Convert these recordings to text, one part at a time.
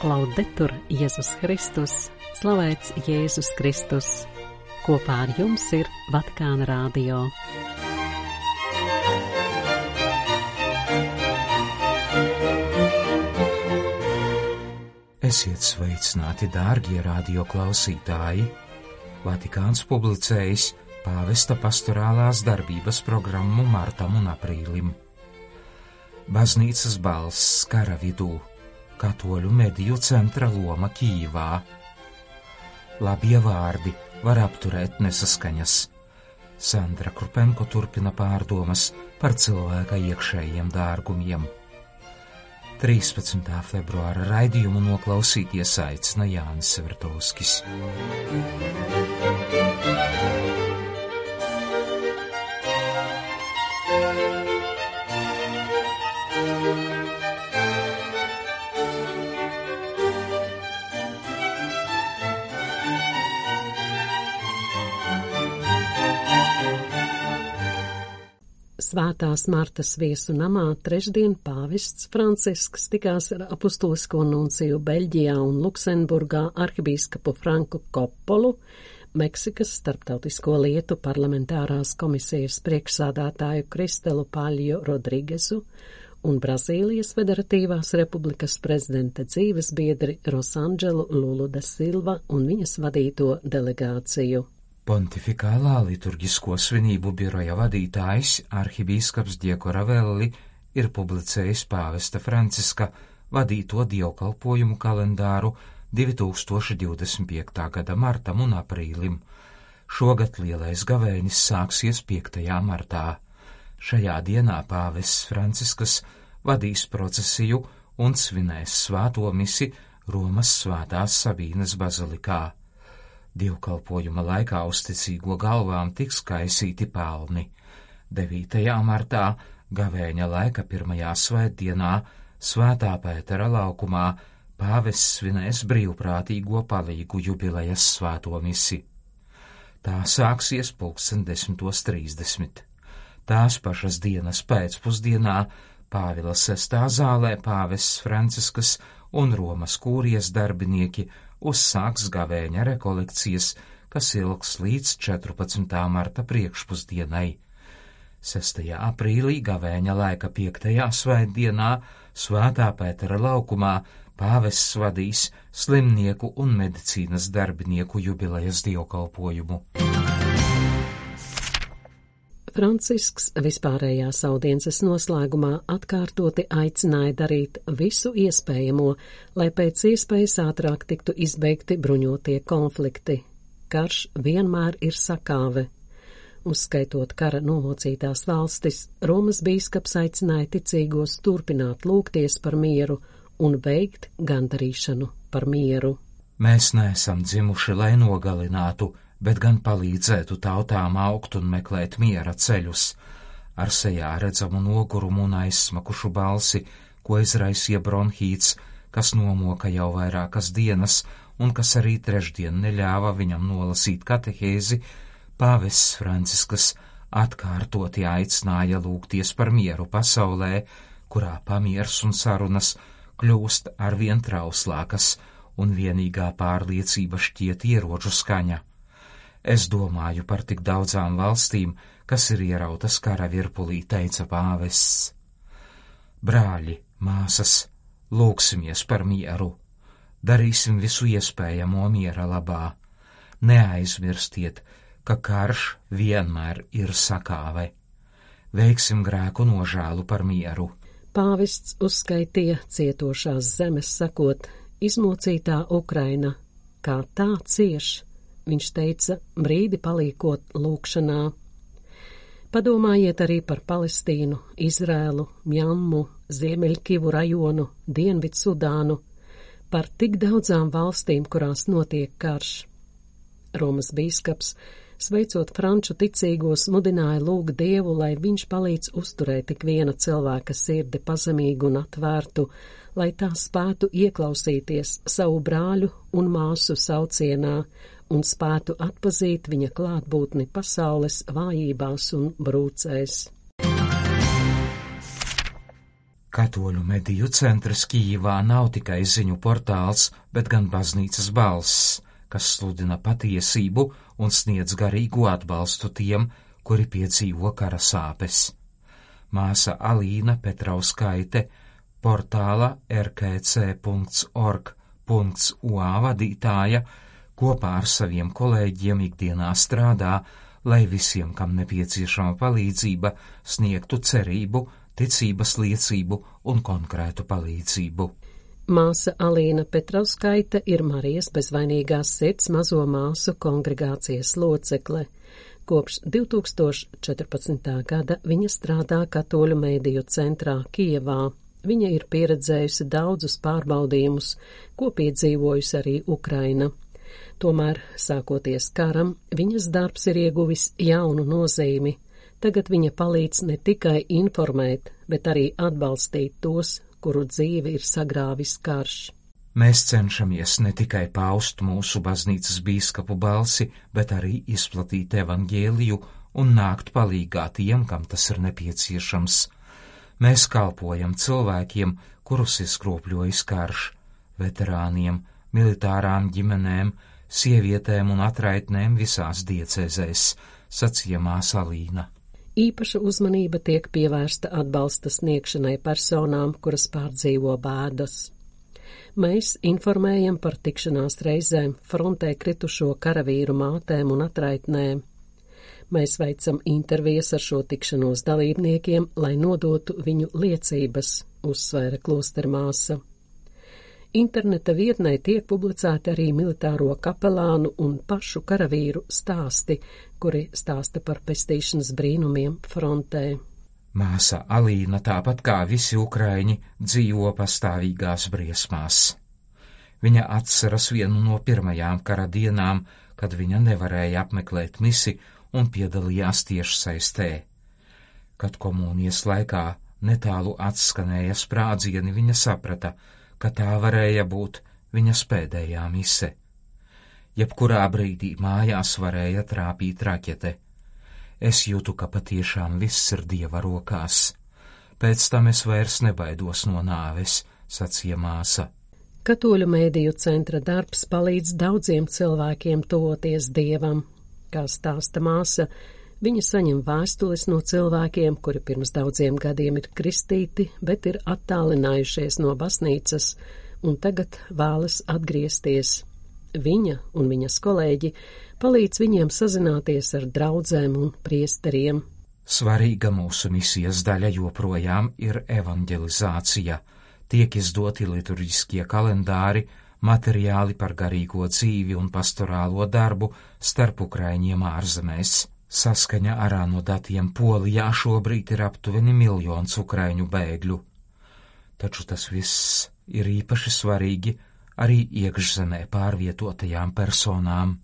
Laudetur Jēzus Kristus, slavēts Jēzus Kristus. Kopā ar jums ir Vatikāna Radio. Esiet sveicināti, dārgie radio klausītāji! Vatikāns publicējis pāvesta pastorālās darbības programmu martam un aprīlim. Baznīcas balss kara vidū, katoļu mediju centra loma Kijivā. Labie vārdi var apturēt nesaskaņas. Sandra Krupenko turpina pārdomas par cilvēka iekšējiem dārgumiem. 13. februāra raidījumu noklausīties aicina Jānis Svertovskis. Svētās Martas viesu namā trešdien pāvests Francisks tikās ar apustulisko nunciju Beļģijā un Luksemburgā arhibīskapu Franku Koppolu, Meksikas starptautisko lietu parlamentārās komisijas priekšsādātāju Kristelu Paļjo Rodrigesu un Brazīlijas Federatīvās Republikas prezidenta dzīves biedri Rosandželu Lulu da Silva un viņas vadīto delegāciju. Pontifikālā liturģisko svinību biroja vadītājs arhibīskaps Diego Ravelli ir publicējis pāvesta Franciska vadīto dievkalpojumu kalendāru 2025. gada martam un aprīlim. Šogad lielais gavēnis sāksies 5. martā. Šajā dienā pāvests Franciskas vadīs procesiju un svinēs svēto misi Romas Svētās Sabīnes bazilikā. Dievkalpojuma laikā uzticīgo galvām tiks kaisīti pelni. 9. martā gavēņa laika pirmajā svētdienā Svētā Pētera laukumā pāvests svinēs brīvprātīgo palīgu jubilejas svēto misi. Tā sāksies 10:30. Tās pašas dienas pēcpusdienā Pāvila 6. zālē pāvests Franciskas un Romas kūrijas darbinieki uzsāks gavēņa rekolekcijas, kas ilgs līdz 14. marta priekšpusdienai. 6. aprīlī gavēņa laika 5. svētdienā Svētā Pētera laukumā pāvests vadīs slimnieku un medicīnas darbinieku jubilejas dievkalpojumu. Francisks vispārējās audiences noslēgumā atkārtoti aicināja darīt visu iespējamo, lai pēc iespējas ātrāk tiktu izbeigti bruņotie konflikti. Karš vienmēr ir sakāve. Uzskaitot kara nomocītās valstis, Romas bīskaps aicināja ticīgos turpināt lūgties par mieru un veikt gandarīšanu par mieru. Mēs neesam dzimuši, lai nogalinātu, bet gan palīdzētu tautām augt un meklēt miera ceļus. Ar sejā redzamu nogurumu un aizsmakušu balsi, ko izraisīja bronhīts, kas nomoka jau vairākas dienas un kas arī trešdien neļāva viņam nolasīt katehēzi, pāvests Franciskas atkārtoti aicināja lūgties par mieru pasaulē, kurā pamiers un sarunas kļūst arvien trauslākas un vienīgā pārliecība šķiet ieroču skaņa. Es domāju par tik daudzām valstīm, kas ir ierautas kara virpulī, teica pāvests. Brāļi, māsas, lūgsimies par mieru. Darīsim visu iespējamo miera labā. Neaizmirstiet, ka karš vienmēr ir sakāve. Veiksim grēku nožēlu par mieru. Pāvests uzskaitīja cietošās zemes, sakot, izmocītā Ukraina, kā tā cieš. Viņš teica, brīdi paliekot lūkšanā. Padomājiet arī par Palestīnu, Izrēlu, Mjanmu, Ziemeļkivu rajonu, Dienvidsudānu, par tik daudzām valstīm, kurās notiek karš. Romas bīskaps, sveicot franču ticīgos, mudināja lūgt Dievu, lai viņš palīdz uzturēt ik viena cilvēka sirdi pazemīgu un atvērtu, lai tā spētu ieklausīties savu brāļu un māsu saucienā un spētu atpazīt viņa klātbūtni pasaules vājībās un brūcēs. Katoļu mediju centrs Kijivā nav tikai ziņu portāls, bet gan baznīcas balss, kas sludina patiesību un sniedz garīgu atbalstu tiem, kuri piedzīvo kara sāpes. Māsa Alīna Petrauskaite, portāla rkc.org.ua vadītāja, kopā ar saviem kolēģiem ikdienā strādā, lai visiem, kam nepieciešama palīdzība, sniegtu cerību, ticības liecību un konkrētu palīdzību. Māsa Alīna Petrauskaite ir Marijas bezvainīgās sirds mazo māsu kongregācijas locekle. Kopš 2014. gada viņa strādā Katoļu mediju centrā Kijevā. Viņa ir pieredzējusi daudzus pārbaudījumus, ko piedzīvojusi arī Ukraina. Tomēr, sākoties karam, viņas darbs ir ieguvis jaunu nozīmi. Tagad viņa palīdz ne tikai informēt, bet arī atbalstīt tos, kuru dzīvi ir sagrāvis karš. Mēs cenšamies ne tikai paust mūsu baznīcas bīskapu balsi, bet arī izplatīt evaņģēliju un nākt palīgā tiem, kam tas ir nepieciešams. Mēs kalpojam cilvēkiem, kurus izkropļojis karš, veterāniem, militārām ģimenēm, sievietēm un atraitnēm visās diecēzēs, sacīja māsa Alīna. Īpaša uzmanība tiek pievērsta atbalsta sniegšanai personām, kuras pārdzīvo bēdas. Mēs informējam par tikšanās reizēm frontē kritušo karavīru mātēm un atraitnēm. Mēs veicam intervijas ar šo tikšanos dalībniekiem, lai nodotu viņu liecības, uzsvēra klostermāsa. Interneta vietnē tiek publicēti arī militāro kapelānu un pašu karavīru stāsti, kuri stāsta par pestīšanas brīnumiem frontē. Māsa Alīna, tāpat kā visi ukraiņi, dzīvo pastāvīgās briesmās. Viņa atceras vienu no pirmajām kara dienām, kad viņa nevarēja apmeklēt misi un piedalījās tiešsaistē. Kad komunijas laikā netālu atskanēja sprādzieni, viņa saprata, ka tā varēja būt viņas pēdējā mise. Jebkurā brīdī mājās varēja trāpīt raķete. Es jūtu, ka patiešām viss ir Dieva rokās. Pēc tam es vairs nebaidos no nāves, sacīja māsa. Katoļu mediju centra darbs palīdz daudziem cilvēkiem tuvoties Dievam. Kā stāsta māsa, viņa saņem vēstules no cilvēkiem, kuri pirms daudziem gadiem ir kristīti, bet ir attālinājušies no baznīcas un tagad vēlas atgriezties. Viņa un viņas kolēģi palīdz viņiem sazināties ar draudzēm un priesteriem. Svarīga mūsu misijas daļa joprojām ir evanģelizācija. Tiek izdoti liturģiskie kalendāri, materiāli par garīgo dzīvi un pastorālo darbu starp ukraiņiem ārzemēs. Saskaņa ar ANO datiem Polijā šobrīd ir aptuveni 1 miljons ukraiņu bēgļu. Taču tas viss ir īpaši svarīgi arī iekšzemē pārvietotajām personām.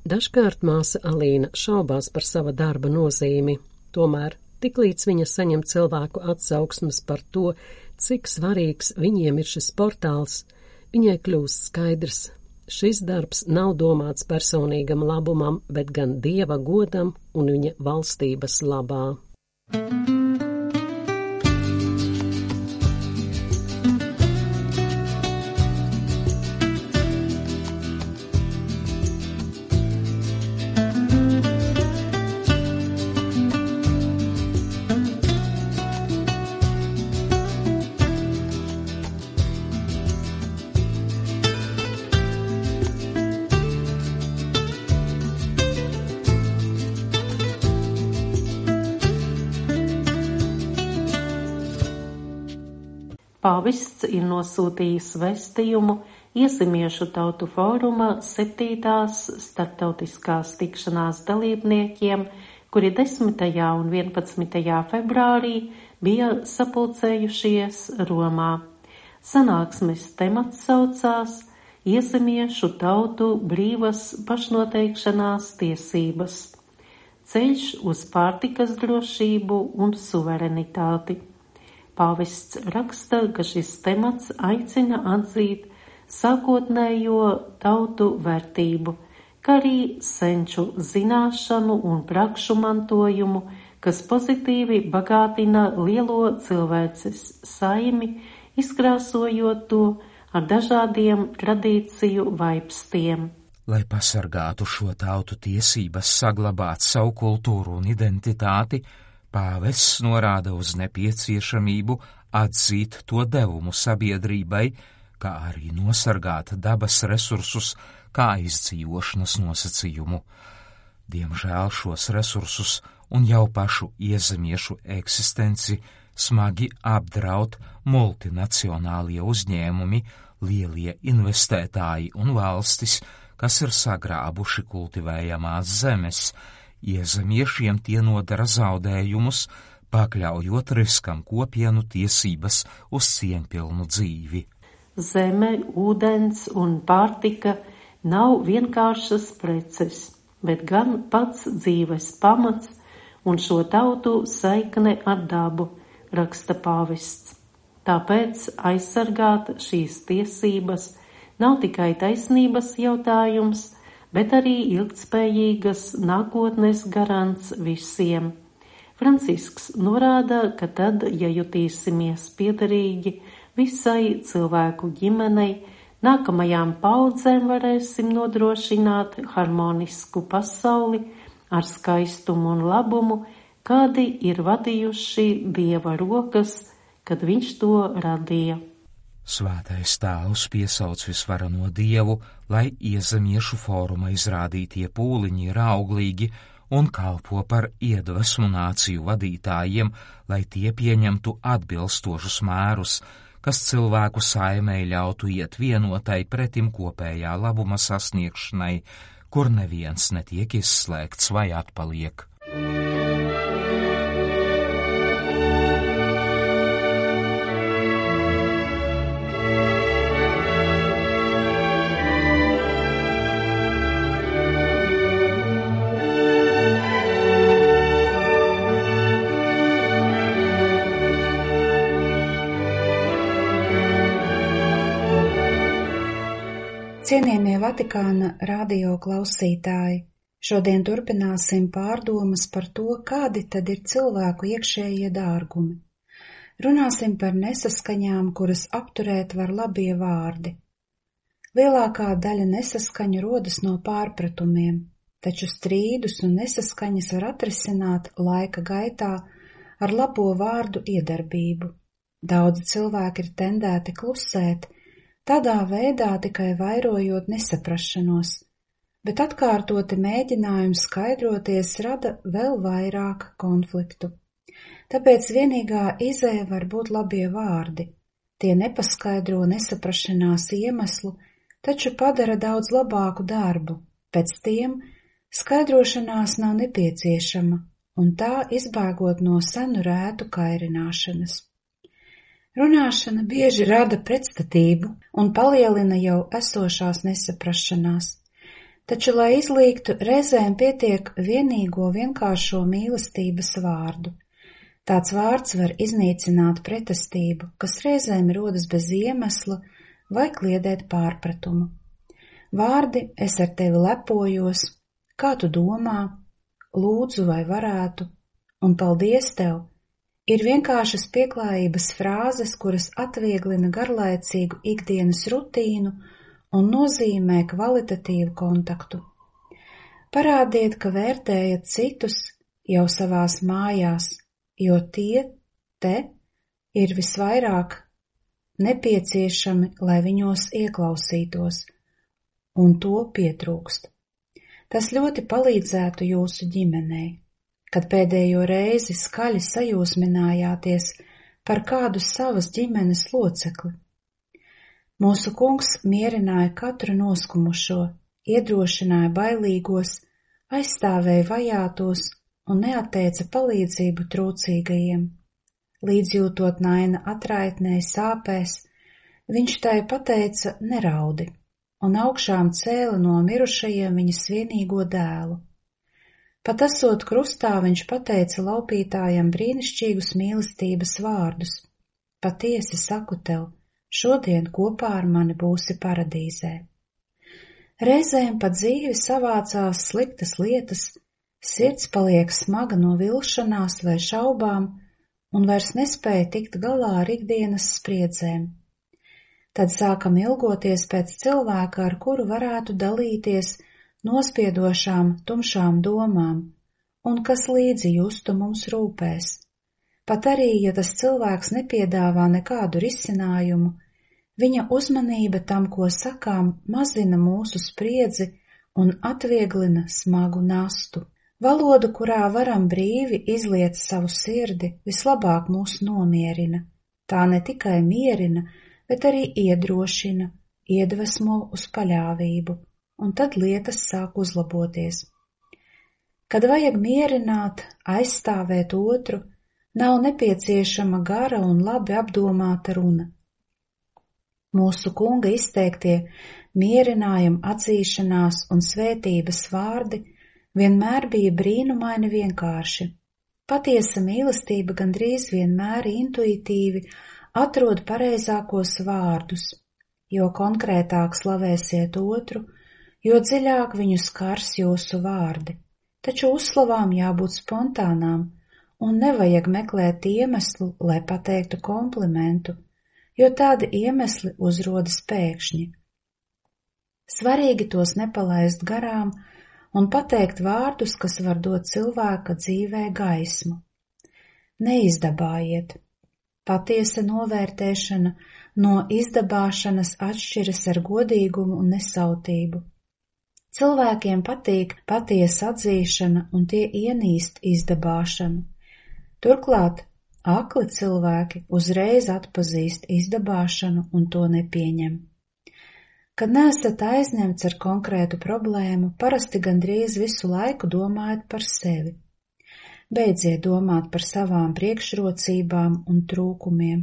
Dažkārt māsa Alīna šaubās par sava darba nozīmi, tomēr tiklīdz viņa saņem cilvēku atsauksmes par to, cik svarīgs viņiem ir šis portāls, viņai kļūst skaidrs. Šis darbs nav domāts personīgam labumam, bet gan Dieva godam un viņa valstības labā. Pāvests ir nosūtījis vēstījumu Iesimiešu tautu fóruma 7. starptautiskās tikšanās dalībniekiem, kuri 10. un 11. februārī bija sapulcējušies Romā. Sanāksmes temats saucās Iesimiešu tautu brīvas pašnoteikšanās tiesības. Ceļš uz pārtikas drošību un suverenitāti. Pāvests raksta, ka šis temats aicina atzīt sākotnējo tautu vērtību, kā arī senču zināšanu un prakšu mantojumu, kas pozitīvi bagātina lielo cilvēces saimi, izkrāsojot to ar dažādiem tradīciju vaipstiem. Lai pasargātu šo tautu tiesības saglabāt savu kultūru un identitāti, pāvests norāda uz nepieciešamību atzīt to devumu sabiedrībai, kā arī nosargāt dabas resursus kā izdzīvošanas nosacījumu. Diemžēl šos resursus un jau pašu iezemiešu eksistenci smagi apdraud multinacionālie uzņēmumi, lielie investētāji un valstis, kas ir sagrābuši kultivējamās zemes. Iezemiešiem tie nodara zaudējumus, pakļaujot riskam kopienu tiesības uz cieņpilnu dzīvi. Zeme, ūdens un pārtika nav vienkāršas preces, bet gan pats dzīves pamats un šo tautu saikne ar dabu, raksta pāvests. Tāpēc aizsargāt šīs tiesības nav tikai taisnības jautājums, bet arī ilgtspējīgas nākotnes garants visiem. Francisks norāda, ka tad, ja jutīsimies piederīgi visai cilvēku ģimenei, nākamajām paudzēm varēsim nodrošināt harmonisku pasauli ar skaistumu un labumu, kādi ir vadījuši Dieva rokas, kad viņš to radīja. Svētais Tēvs piesauc visvarano Dievu, lai iezemiešu fóruma izrādītie pūliņi ir auglīgi un kalpo par iedvesmu nāciju vadītājiem, lai tie pieņemtu atbilstošus mērus, kas cilvēku saimei ļautu iet vienotai pretim kopējā labuma sasniegšanai, kur neviens netiek izslēgts vai atpaliek. Cienījamie Vatikāna radio klausītāji, šodien turpināsim pārdomas par to, kādi tad ir cilvēku iekšējie dārgumi. Runāsim par nesaskaņām, kuras apturēt var labie vārdi. Lielākā daļa nesaskaņu rodas no pārpratumiem, taču strīdus un nesaskaņas var atrisināt laika gaitā ar labo vārdu iedarbību. Daudzi cilvēki ir tendēti klusēt, tādā veidā tikai vairojot nesaprašanos, bet atkārtoti mēģinājumi skaidroties rada vēl vairāk konfliktu. Tāpēc vienīgā izēja var būt labie vārdi. Tie nepaskaidro nesaprašanās iemeslu, taču padara daudz labāku darbu. Pēc tiem skaidrošanās nav nepieciešama, un tā izbēgot no senu rētu kairināšanas. Runāšana bieži rada pretstatību un palielina jau esošās nesaprašanās, taču, lai izlīgtu, reizēm pietiek vienīgo vienkāršo mīlestības vārdu. Tāds vārds var iznīcināt pretestību, kas reizēm rodas bez iemesla vai kliedēt pārpratumu. Vārdi es ar tevi lepojos, kā tu domā, lūdzu vai varētu, un paldies tev, ir vienkāršas pieklājības frāzes, kuras atvieglina garlaicīgu ikdienas rutīnu un nozīmē kvalitatīvu kontaktu. Parādiet, ka vērtējat citus jau savās mājās, jo tie te ir visvairāk nepieciešami, lai viņos ieklausītos, un to pietrūkst. Tas ļoti palīdzētu jūsu ģimenei. Kad pēdējo reizi skaļi sajūsminājāties par kādu savas ģimenes locekli. Mūsu Kungs mierināja katru noskumušo, iedrošināja bailīgos, aizstāvēja vajātos un neatteica palīdzību trūcīgajiem. Līdzjūtot naina atraitnei sāpēs, viņš tai pateica neraudi un augšām cēla no mirušajiem viņas vienīgo dēlu. Pat esot krustā, viņš pateica laupītājam brīnišķīgus mīlestības vārdus. Patiesi saku tev, šodien kopā ar mani būsi paradīzē. Reizēm pat dzīvi savācās sliktas lietas, Sirds paliek smaga no vilšanās vai šaubām un vairs nespēja tikt galā ar ikdienas spriedzēm. Tad sākam ilgoties pēc cilvēka, ar kuru varētu dalīties nospiedošām, tumšām domām, un kas līdzi justu mums rūpēs. Pat arī, ja tas cilvēks nepiedāvā nekādu risinājumu, viņa uzmanība tam, ko sakām, mazina mūsu spriedzi un atvieglina smagu nastu. Valodu, kurā varam brīvi izliet savu sirdi, vislabāk mūs nomierina. Tā ne tikai mierina, bet arī iedrošina, iedvesmo uz paļāvību, un tad lietas sāk uzlaboties. Kad vajag mierināt, aizstāvēt otru, nav nepieciešama gara un labi apdomāta runa. Mūsu Kunga izteiktie mierinājuma, atzīšanās un svētības vārdi vienmēr bija brīnumaini vienkārši. Patiesa mīlestība gandrīz vienmēr intuitīvi atrod pareizākos vārdus, jo konkrētāk slavēsiet otru, jo dziļāk viņu skars jūsu vārdi. Taču uzslavām jābūt spontānām, un nevajag meklēt iemeslu, lai pateiktu komplimentu, jo tādi iemesli uzrodas pēkšņi. Svarīgi tos nepalaist garām un pateikt vārdus, kas var dot cilvēka dzīvē gaismu. Neizdabājiet. Patiesa novērtēšana no izdabāšanas atšķiras ar godīgumu un nesautību. Cilvēkiem patīk patiesa atzīšana un tie ienīst izdabāšanu. Turklāt akli cilvēki uzreiz atpazīst izdabāšanu un to nepieņem. Kad neesat aizņemts ar konkrētu problēmu, parasti gandrīz visu laiku domājat par sevi. Beidziet domāt par savām priekšrocībām un trūkumiem.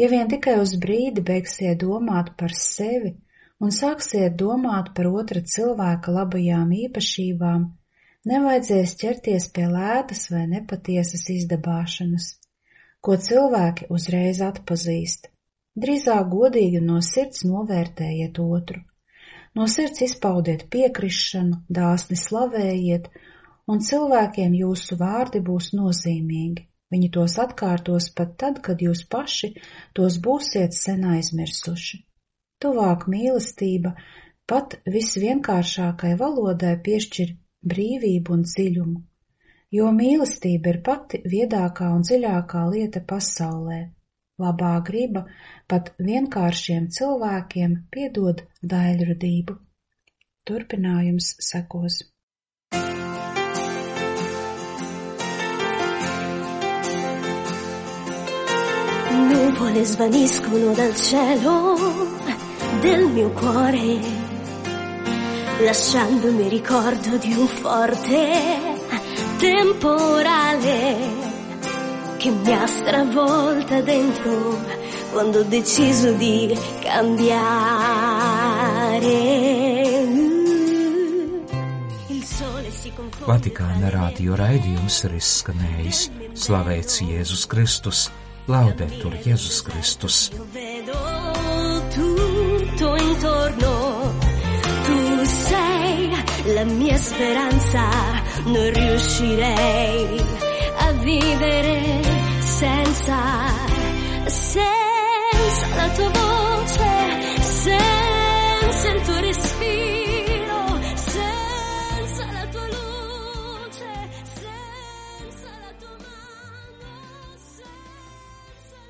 Ja vien tikai uz brīdi beigsiet domāt par sevi un sāksiet domāt par otra cilvēka labajām īpašībām, nevajadzēs ķerties pie lētas vai nepatiesas izdabāšanas, ko cilvēki uzreiz atpazīst. Drīzāk godīgi no sirds novērtējiet otru. No sirds izpaudiet piekrišanu, dāsni slavējiet, un cilvēkiem jūsu vārdi būs nozīmīgi. Viņi tos atkārtos pat tad, kad jūs paši tos būsiet sen aizmirsuši. Tuvāk mīlestība pat visvienkāršākai valodai piešķir brīvību un dziļumu, jo mīlestība ir pati viedākā un dziļākā lieta pasaulē. Labā griba pat vienkāršiem cilvēkiem piedod daļradību. Turpinājums sekos. Nuvole svaniscono dal cielo del mio cuore, lasciandomi ricordo di un forte temporale che mi ha stravolta dentro quando ho deciso di cambiare. Il sole si confonde. Vatikāna radio raidījums ir izskanējis. Slavēts Jēzus Kristus, laudetur Jēzus Kristus. Io vedo tutto intorno, tu sei la mia speranza, non riuscirei a vivere senza